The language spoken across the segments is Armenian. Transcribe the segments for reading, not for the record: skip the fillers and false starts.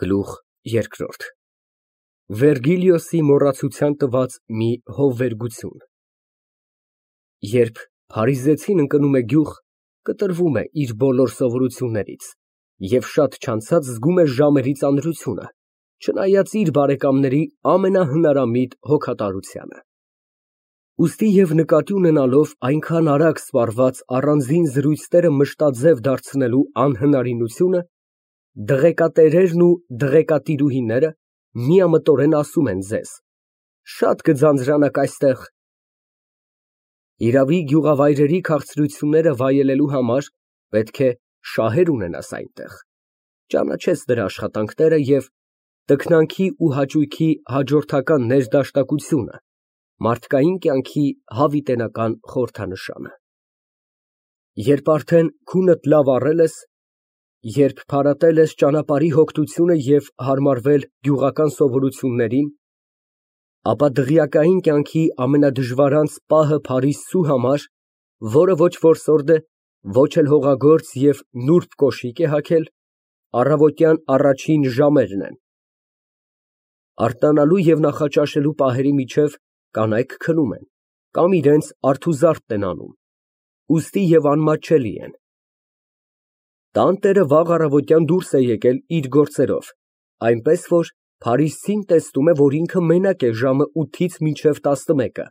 Գլուխ երկրորդ Վերգիլիոսի մոռացության տված մի հովվերգություն Երբ փարիզեցին ընկնում է գյուղ, կտրվում է իր բոլոր սովորություններից և շատ չանցած զգում է ժամերի ծանրությունը, չնայած իր բարեկամների ամենահնարամիտ հոգատարությանը։ Ուստի և նկատի ունենալով այնքան արագ սպառված առանձին զրույցները մշտաձև դարձնելու անհնարինությունը, դղեկատերերն ու դղեկատիրուհիները միամտորեն ասում են ձեզ. «Շատ կձանձրանաք այստեղ»։ Իրավի գյուղավայրերի քաղցրությունները վայելելու համար պետք է շահեր ունենաս այնտեղ, ճանաչես նրա աշխատանքները և տքնանքի ու հաճույքի հաջորդական ներդաշնակությունը, մարդկային կյանքի հավիտենական խորհրդանշանը։ Երբ արդեն քունդ լավ առել ես, երբ փարատել ես ճանապարհի հոգնությունը և հարմարվել գյուղական սովորություններին, ապա դղյակային կյանքի ամենադժվարանց պահը Փարիզցու համար, որը ոչ որսորդ է, ոչ էլ հողագործ և նուրբ կոշիկ է հագել, առավոտյան առաջին ժամերն են։ Արթնանալու և նախաճաշելու պահերի միջև կանայք քնում են կամ իրենց արթուզարդն են անում, ուստի և անմատչելի են։ Տանտերը վաղ առավոտյան դուրս է եկել իր գործերով, այնպես որ փարիզցին տեսնում է, որ ինքը մենակ է ժամը 8-ից մինչև 11-ը,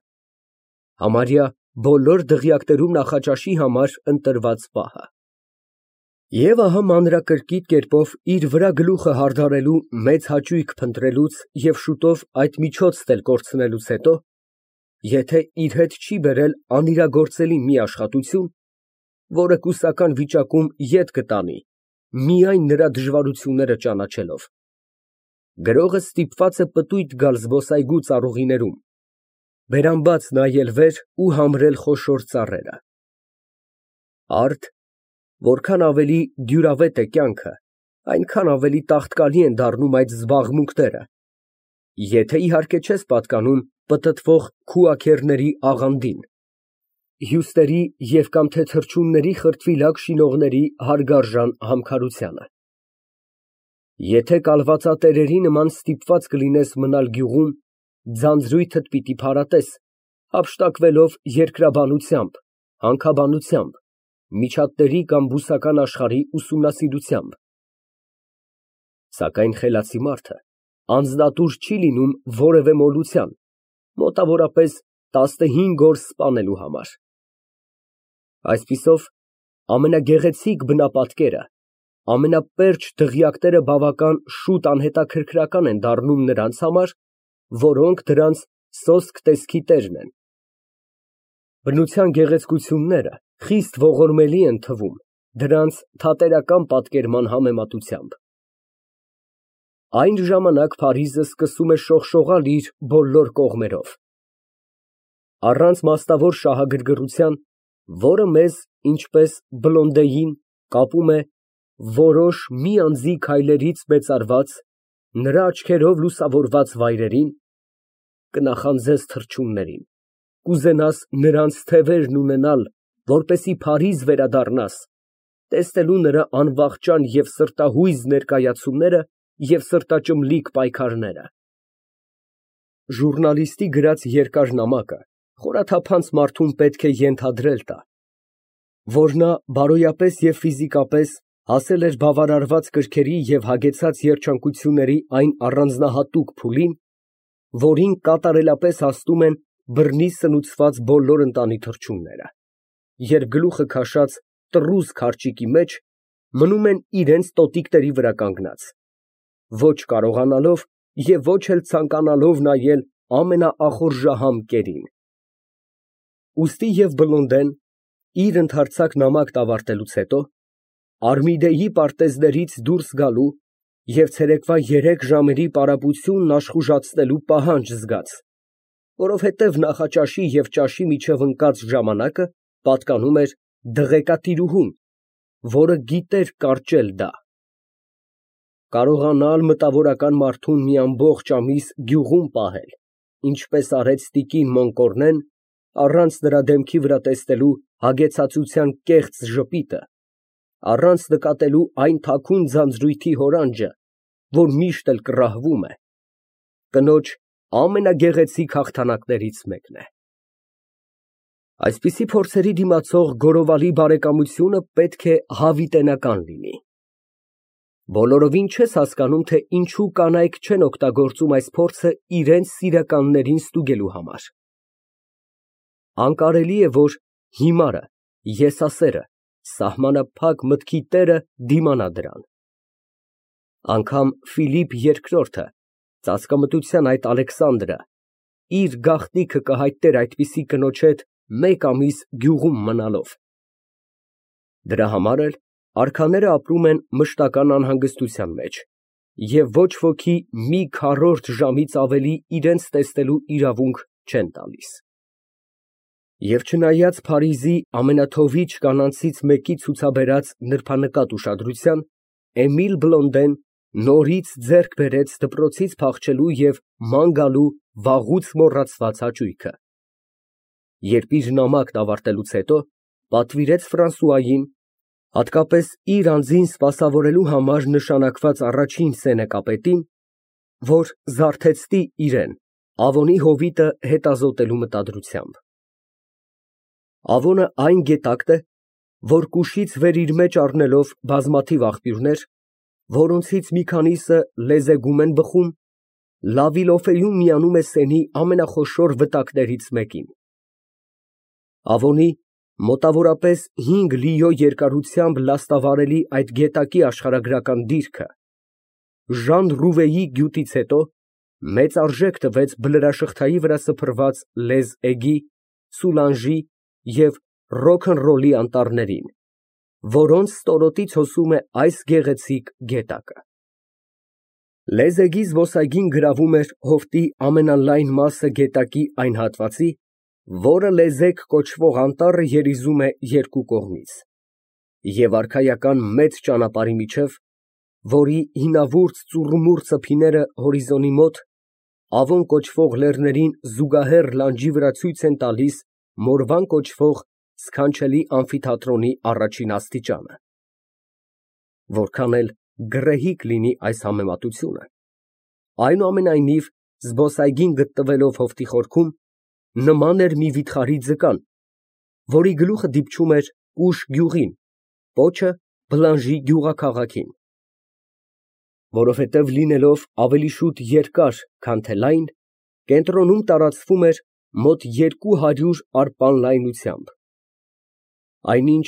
համարյա բոլոր դղյակներում նախաճաշի համար ընտրված պահը։ Եվ ահա մանրակրկիտ կերպով իր վրա գլուխը հարդարելու մեծ հաճույք փնտրելուց և շուտով այդ միջոցն էլ կորցնելուց հետո, եթե իր հետ չի բերել անիրագործելի մի աշխատություն, որը կուսական վիճակում ետ կտանի միայն նրա դժվարությունները ճանաչելով, գրողը ստիպված է պտույտ գալ զբոսայգու ծառուղիներում, բերանբաց նայել վեր ու համրել խոշոր ծառերը։ Արդ, որքան ավելի դյուրավետ է կյանքը, այնքան ավելի տաղտկալի են դառնում այդ զբաղմունքները, եթե իհարկե չես պատկանում պտտվող քուաքեռների աղանդին, հյուսների և կամ թե թռչունների խրտվիլակ շինողների հարգարժան համքարությանը։ Եթե կալվածատերերի նման ստիպված կլինես մնալ գյուղում, ձանձրույթդ պիտի փարատես, հափշտակվելով երկրաբանությամբ, հանքաբանությամբ, միջատների կամ բուսական աշխարհի ուսումնասիրությամբ։ Սակայն խելացի մարդը անձնատուր չի լինում որևէ մոլության, մոտավորապես 15 օր սպանելու համար։ Այսպիսով, ամենագեղեցիկ բնապատկերը, ամենապերճ դղյակները բավական շուտ անհետաքրքրական են դառնում նրանց համար, որոնք դրանց սոսկ տեսքի տերն են։ Բնության գեղեցկությունները խիստ ողորմելի են թվում դրանց թատերական պատկերման համեմատությամբ։ Այն ժամանակ Փարիզը սկսում է շողշողալ իր բոլոր կողմերով։ Առանց մասնավոր շահագրգռության, որը մեզ, ինչպես Բլոնդեին, կապում է որոշ մի անձի քայլերից մեծարված, նրա աչքերով լուսավորված վայրերին, կնախանձես թռչուններին, կուզենաս նրանց թևերն ունենալ, որպեսզի Փարիզ վերադառնաս, տեսնելու նրա անվախճան և սրտահույզ ներկայացումները և սրտաճմլիկ պայքարները։ Ժուռնալիստի գրած երկար նամակը խորաթափանց մարդուն պետք է ենթադրել տա, որ նա բարոյապես և ֆիզիկապես հասել էր բավարարված կրքերի և հագեցած երջանկությունների այն առանձնահատուկ փուլին, որին կատարելապես հասնում են բռնի սնուցված բոլոր ընտանի թռչունները, երբ գլուխը քաշած տռուզ քարճիկի մեջ մնում են իրենց տոտիկների վրա կանգնած, ոչ կարողանալով և ոչ էլ ցանկանալով նայել ամենաախորժահամ կերին։ Ուստի և Բլոնդեն, իր ընդարձակ նամակն ավարտելուց հետո, Արմիդեի պարտեզներից դուրս գալու և ցերեկվա 3 ժամերի պարապությունն աշխուժացնելու պահանջ զգաց, որովհետև նախաճաշի և ճաշի միջև ընկած ժամանակը պատկանում էր դղեկատիրուհուն, որը գիտեր կարճել դա։ Կարողանալ մտավորական մարդուն մի ամբողջ ամիս գյուղում պահել, ինչպես արեց տիկին Մոնկորնեն, առանց նրա դեմքի վրա տեսնելու հագեցածության կեղծ ժպիտը, առանց նկատելու այն թաքուն ձանձրույթի հորանջը, որ միշտ էլ կռահվում է, կնոջ ամենագեղեցիկ հաղթանակներից մեկն է։ Այսպիսի փորձերի դիմացող գորովալի բարեկամությունը պետք է հավիտենական լինի։ Բոլորովին չես հասկանում, թե ինչու կանայք չեն օգտագործում այս փորձը իրենց սիրականներին ստուգելու համար։ Անկարելի է, որ հիմարը, եսասերը, սահմանափակ մտքի տերը դիմանա դրան։ Անգամ Ֆիլիպ II, ծածկամտության այդ Ալեքսանդրը, իր գաղտնիքը կհայտներ այդպիսի կնոջ հետ մեկ ամիս գյուղում մնալով։ Դրա համար էլ արքաները ապրում են մշտական անհանգստության մեջ, և ոչ ոքի մի քառորդ ժամից ավելի իրենց տեսնելու իրավունք չեն տալիս։ Եվ չնայած Փարիզի ամենաթովիչ կանանցից մեկի ցուցաբերած նրբանկատ ուշադրության, Էմիլ Բլոնդեն նորից ձեռք բերեց դպրոցից փախչելու և ման գալու վաղուց մոռացված հաճույքը։ Երբ իր նամակն ավարտելուց հետո, պատվիրեց Ֆրանսուային, հատկապես իր անձին սպասավորելու համար նշանակված առաջին սենեկապետին, որ զարթեցնի իրան Ավոնի հովիտը հետազոտելու մտադրությամբ։ Ավոնը այն գետակն է, որ կուշից վեր իր մեջ առնելով բազմաթիվ աղբյուրներ, որոնցից մի քանիսը լեզեգում են բխում, Լավիլոֆեում միանում է Սենի ամենախոշոր վտակներից մեկին։ Ավոնի մոտավորապես 5 լիո երկարությամբ լաստավարելի այդ գետակի աշխարհագրական դիրքը Ժան Ռուվեի գյուտից հետո մեծ արժեք տվեց բլրաշղթայի վրա սփռված Լեզ Էգի, Սուլանժի և Ռոքնռոլի անտառներին, որոնց ստորոտից հոսում է այս գեղեցիկ գետակը։ Լեզ Էգի զբոսայգին գրավում էր հովտի ամենալայն մասը գետակի այն հատվածի, որը Լեզեկ կոչվող անտառը երիզում է երկու կողմից, և արքայական մեծ ճանապարհի միջև, որի հինավուրց ծուռումուռ ծփիները հորիզոնի մոտ, Ավոն կոչվող լեռներին զուգահեռ լանջի վրա ցույց են տալիս Մորվան կոչվող սքանչելի ամֆիթատրոնի առաջին աստիճանը։ Որքան էլ գռեհիկ լինի այս համեմատությունը, այնուամենայնիվ զբոսայգին գտնվելով հովտի խորքում, նման էր մի վիթխարի ձկան, որի գլուխը դիպչում էր ուշ գյուղին, պոչը Բլանժի գյուղաքաղաքին։ Որովհետև լինելով ավելի շուտ երկար, քան թե լայն, կենտրոնում տարածվում էր մոտ 200 արպան լայնությամբ, այնինչ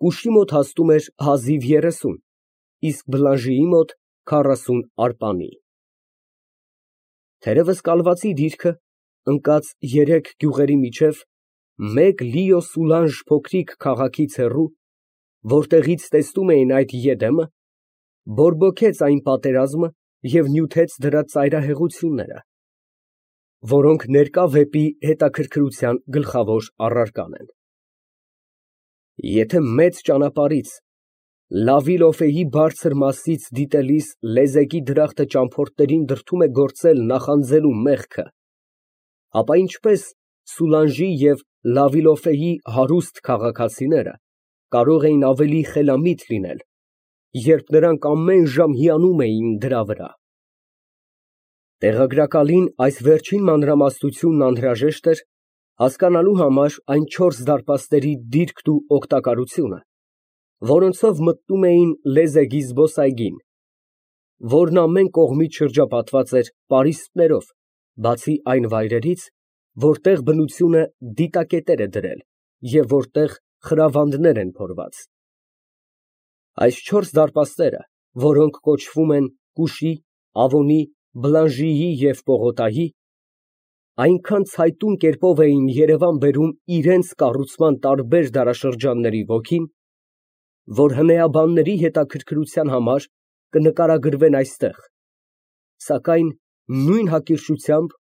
կուշի մոտ հասնում էր հազիվ 30, իսկ Բլանժիի մոտ 40 արպանի։ Թերևս կալվածի դիրքը, ընկած 3 գյուղերի միջև, մեկ լիո Սուլանժ փոքրիկ քաղաքից հեռու, որտեղից տեսնում էին այդ Եդեմը, բորբոքեց այն պատերազմը և նյութեց դրա ծայրահեղությունները, որոնք ներկա վեպի հետաքրքրության գլխավոր առարական են։ Եթե մեծ ճանապարհից, Լավիլոֆեի բարձր մասից դիտելիս Լեզեկի դրախտը ճամփորդներին դրդում է գործել նախանձելու մեղքը, ապա ինչպես Սուլանժի և Լավիլոֆեի հարուստ քաղաքացիները կարող էին ավելի խելամիտ լինել, երբ նրանք ամեն ժամ հիանում էին դրա վրա։ Տեղագրակալին այս վերջին մանրամասնությունն անհրաժեշտ էր, հասկանալու համար այն 4 դարպասների դիրքն ու օգտակարությունը, որոնցով մտնում էին Լեզեգի զբոսայգին, որն ամեն կողմից շրջապատված էր պարիսպներով, բացի այն վայրերից, որտեղ բնությունը դիտակետեր է դրել և որտեղ խրավանդներ են փորված։ Այս 4 դարպասները, որոնք կոչվում են Կուշի, Ավոնի, Բլանժիի և Պողոտայի, այնքան ցայտուն կերպով էին երևան բերում իրենց կառուցման տարբեր դարաշրջանների ոգին, որ հնեաբանների հետաքրքրության համար կնկարագրվեն այստեղ, սակայն նույն հակիրճությամբ,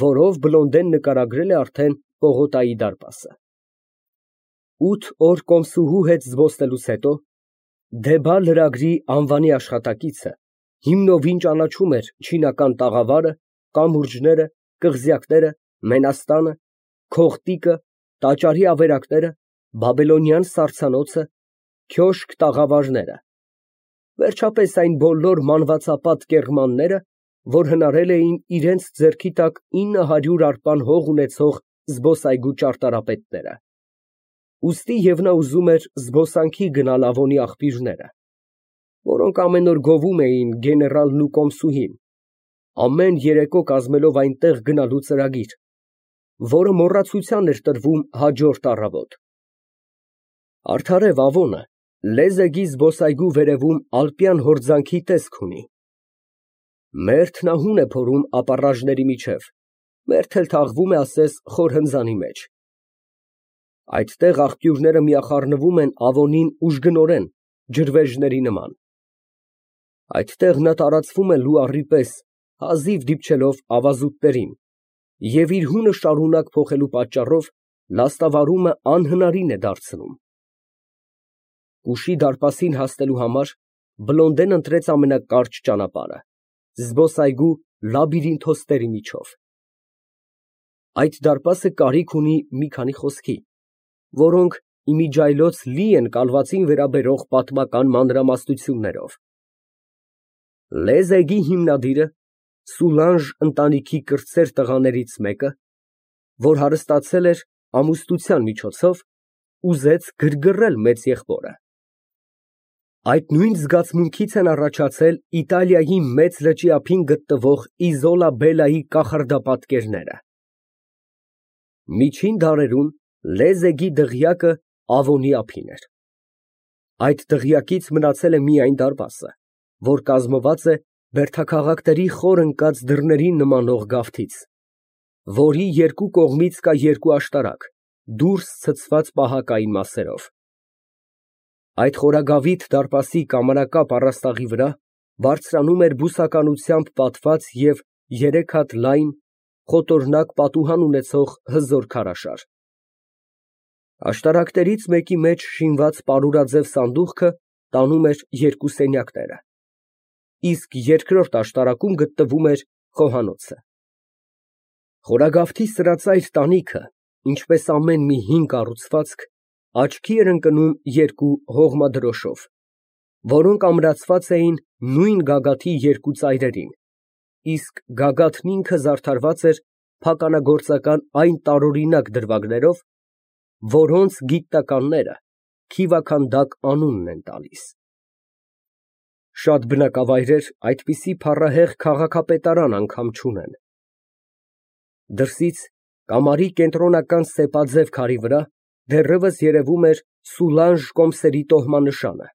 որով Բլոնդեն նկարագրել է արդեն Պողոտայի դարպասը։ 8 օր կոմսուհու հետ զբոսնելուց հետո Դեբա լրագրի անվանի աշխատակիցը հիմնովին ճանաչում էր չինական տաղավարը, կամուրջները, կղզյակները, մենաստանը, քողտիկը, տաճարի ավերակները, բաբելոնյան սառցանոցը, քյոշք տաղավարները, Վերջապես այն բոլոր մանվածապատ կեռմանները, որ հնարել էին իրենց ձեռքի տակ 900 արպան հող ունեցող զբոսայգու ճարտարապետները։ Ուստի և նա ուզում էր զբոսանքի գնալ Ավոնի աղբյուրները, որոնք ամեն օր գովում էին գեներալն ու կոմսուհին, ամեն երեկո կազմելով այնտեղ գնալու ծրագիր, որը մոռացության էր տրվում հաջորդ առավոտ։ Արդարև Ավոնը Լեզեգի զբոսայգու վերևում ալպյան հորձանքի տեսք ունի։ Մերթն ահուն է փորում ապառաժների միջև, մերթ էլ թաղվում է ասես խոր հնձանի մեջ։ Այդտեղ աղբյուրները միախառնվում են Ավոնին ուժգնորեն, ջրվեժների նման։ Այդտեղ նա տարածվում է լուառի պես, հազիվ դիպչելով ավազուտներին, և իր հունը շարունակ փոխելու պատճառով լաստավարումը անհնարին է դարձնում։ Ուշի դարպասին հասնելու համար Բլոնդեն ընտրեց ամենակարճ ճանապարհը, զբոսայգու լաբիրինթոստերի միջով։ Այդ դարպասը կարիք ունի մի քանի խոսքի, որոնք իմիջիայլոց լի են կալվածին վերաբերող պատմական մանրամասնություններով։ Լեզեգի հիմնադիրը, Սուլանժ ընտանիքի կրտսեր տղաներից մեկը, որ հարստացել էր ամուսնության միջոցով, ուզեց գրգռել մեծ եղբորը։ Այդ նույն զգացմունքից են առաջացել Իտալիայի Մեծ լճի ափին գտնվող Իզոլա Բելայի կախարդապատկերները։ Միջին դարերում Լեզեգի դղյակը Ավոնի ափին էր։ Այդ դղյակից մնացել է միայն դարպասը, որ կազմված է բերդաքաղաքների խոր ընկած դռներին նմանող գավթից, որի երկու կողմից կա երկու աշտարակ, դուրս ցցված պահակային մասերով։ Այդ խորագավիթ դարպասի կամարակապ առաստաղի վրա բարձրանում էր բուսականությամբ պատված և 3 հատ լայն, խոտորնակ պատուհան ունեցող հզոր քարաշար։ Աշտարակներից մեկի մեջ շինված պարուրաձև սանդուղքը տանում էր երկու սենյակները, իսկ երկրորդ աշտարակում գտնվում էր խոհանոցը։ Խորագավթի սրածայր տանիքը, ինչպես ամեն մի հին կառուցվածք, աչքի էր ընկնում երկու հողմադրոշով, որոնք ամրացված էին նույն գագաթի երկու ծայրերին, իսկ գագաթն ինքը զարդարված էր փականագործական այն տարօրինակ դրվագներով, որոնց գիտնականները քիվաքանդակ անունն են տալիս։ Շատ բնակավայրեր այդպիսի փառահեղ քաղաքապետարան անգամ չունեն։ Դրսից կամարի կենտրոնական սեպաձև քարի վրա դեռևս երևում էր Սուլանժ կոմսերի տոհմանշանը,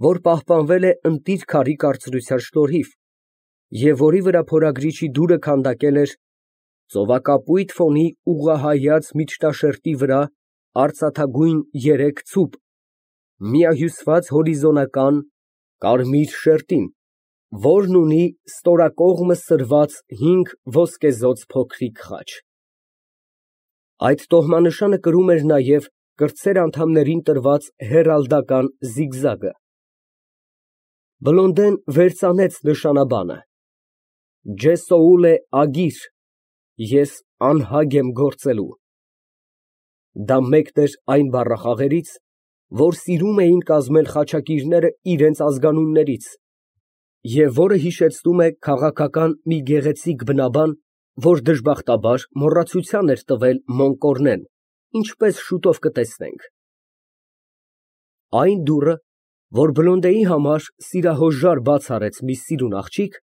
որ պահպանվել է ընտիր քարի կարծրության շնորհիվ և որի վրա փորագրիչի դուրը քանդակել էր ծովակապույտ ֆոնի ուղղահայաց միջնաշերտի վրա արծաթագույն 3 ցուպ, միահյուսված հորիզոնական կարմիր շերտին, որն ունի ստորակողմը սրված 5 ոսկեզօծ փոքրիկ խաչ։ Այդ տոհմանշանը կրում էր նաև կրտսեր անդամներին տրված հեռալդական զիգզագը։ Բլոնդեն վերծանեց նշանաբանը. Ջեսոուլե ագիր, ես անհագ եմ գործելու։ Դա մեկն էր այն բառախաղերից, որ սիրում էին կազմել խաչակիրները իրենց ազգանուններից, և որը հիշեցնում է քաղաքական մի գեղեցիկ բնաբան, որ դժբախտաբար մոռացության էր տվել Մոնկորնեն, ինչպես շուտով կտեսնենք։ Այն դուռը, որ Բլոնդեի համար սիրահոժար բաց արեց մի սիրուն աղջիկ,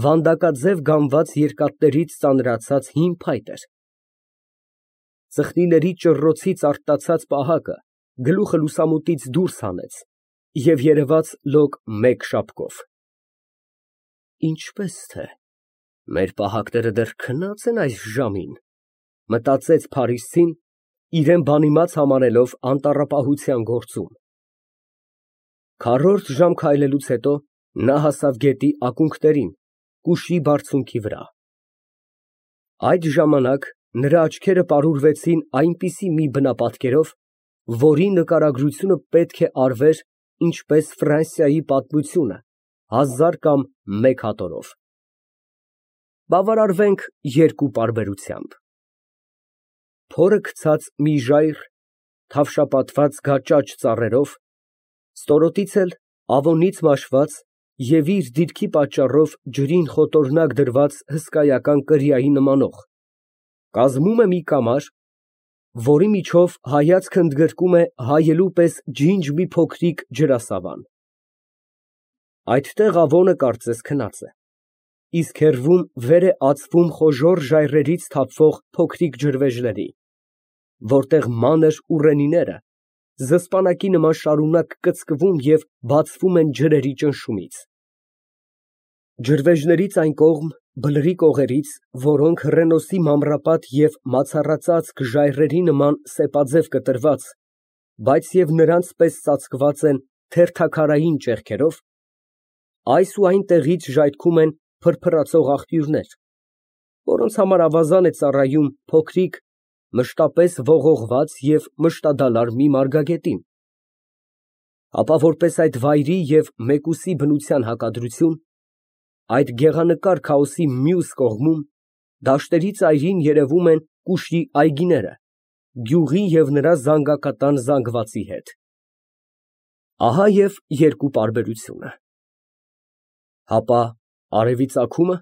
վանդակաձև գամված երկաթներից ծանրացած հին փայտ էր։ Ծխնիների ճռռոցից արթնացած պահակը գլուխը լուսամուտից դուրս հանեց և երևաց լոկ մեկ շապկով։ Ինչպե՞ս թե մեր պահակները դեռ քնած են այս ժամին, մտածեց փարիսցին, իրան բանիմաց համարելով անտառապահության գործում։ Քառորդ ժամ քայլելուց հետո նա հասավ գետի ակունքներին, կուշի բարձունքի վրա։ Այդ ժամանակ նրա աչքերը պարուրվեցին այնպիսի մի բնապատկերով, որի նկարագրությունը պետք է արվեր ինչպես Ֆրանսիայի պատմությունը 1000 կամ 1 հատորով։ Բավարարվենք երկու պարբերությամբ։ Փորը գցած մի ժայռ թավշապատված գաճաճ ծառերով, ստորոտից էլ Ավոնից մաշված և իր դիրքի պատճառով ջրին խոտորնակ դրված հսկայական կրիայի նմանող, կազմում է մի կամար, որի միջով հայացքը ընդգրկում է հայելու պես ջինջ մի փոքրիկ ջրասավան. այդտեղ Ավոնը կարծես քնած է, իսկ հեռվում վեր է ածվում խոժոռ ժայռերից թափվող փոքրիկ ջրվեժների, որտեղ մանր ուռենիները զսպանակի նման շարունակ կծկվում և բացվում են ջրերի ճնշումից։ Ջրվեժներից այն կողմ, բլրի կողերից, որոնք հռենոսի մանրապատ և մացառածածկ ժայռերի նման սեպաձև կտրված, բայց և նրանց պես ծածկված են թերթաքարային ճեղքերով, այս ու այն տեղից ժայթքում են փրփրացող աղբյուրներ, որոնց համար ավազան է ծառայում փոքրիկ, մշտապես ողողված և մշտադալար մի մարգագետին, ապա որպես այդ վայրի և մեկուսի բնության հակադրություն, այդ գեղանկար քաոսի մյուս կողմում, դաշտերի ծայրին երևում են կուշի այգիները, գյուղի և նրա զանգակատան զանգվածի հետ։ Ահա և երկու պարբերությունը. հապա արևի ծագումը,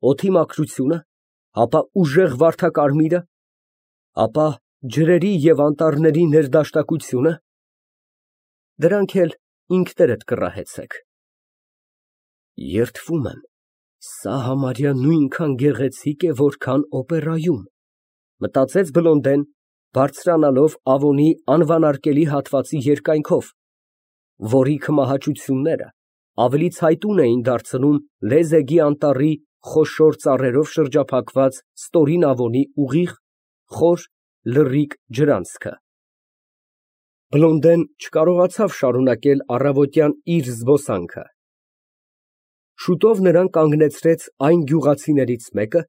օդի մաքրությունը, հապա ուժեղ վարդակարմիրը, ապա ջրերի և անտառների ներդաշտակությունը, դրանք էլ ինքներդ կռահեցեք։ Երդվում եմ, սա համարյա նույնքան գեղեցիկ է, որքան օպերայում, մտածեց Բլոնդեն, բարձրանալով Ավոնի անվանարկելի հատվածի երկայնքով, որի քմահաճությունները ավելի ցայտուն էին դարձնում Լեզեգի անտառի խոշոր ծառերով շրջափակված ստորին Ավոնի ուղիղ, խոր, լռիկ ջրանցքը։ Բլոնդեն չկարողացավ շարունակել առավոտյան իր զբոսանքը։ Շուտով նրան կանգնեցրեց այն գյուղացիներից մեկը,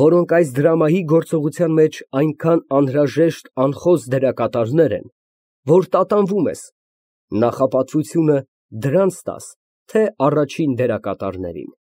որոնք այս դրամայի գործողության մեջ այնքան անհրաժեշտ անխոս դերակատարներ են, որ տատանվում ես նախապատվությունը դրանց տաս, թե առաջին դերակատարներին։